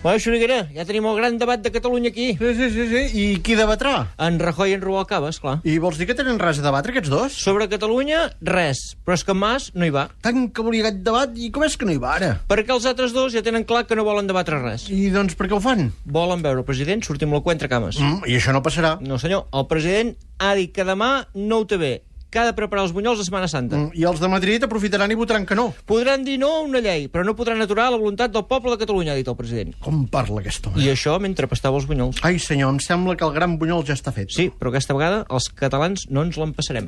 Bueno, Xuriguera, ja tenim el gran debat de Catalunya aquí. Sí. I qui debatrà? En Rajoy i en Rubalcaba, esclar. I vols dir que tenen res a debatre, aquests dos? Sobre Catalunya, res. Però és que en Mas no hi va. Tant que volia aquest debat, i com és que no hi va ara? Perquè els altres dos ja tenen clar que no volen debatre res. I doncs per què ho fan? Volen veure el president sortir amb la cua entre cames. I això no passarà. No, senyor. El president ha dit que demà no ho té bé, que ha de preparar els bunyols de Setmana Santa. I els de Madrid aprofitaran i votaran que no. Podran dir no a una llei, però no podran aturar la voluntat del poble de Catalunya, ha dit el president. Com parla aquest home? I això mentre pastava els bunyols. Ai, senyor, em sembla que el gran bunyol ja està fet. Sí, però aquesta vegada els catalans no ens l'empassarem.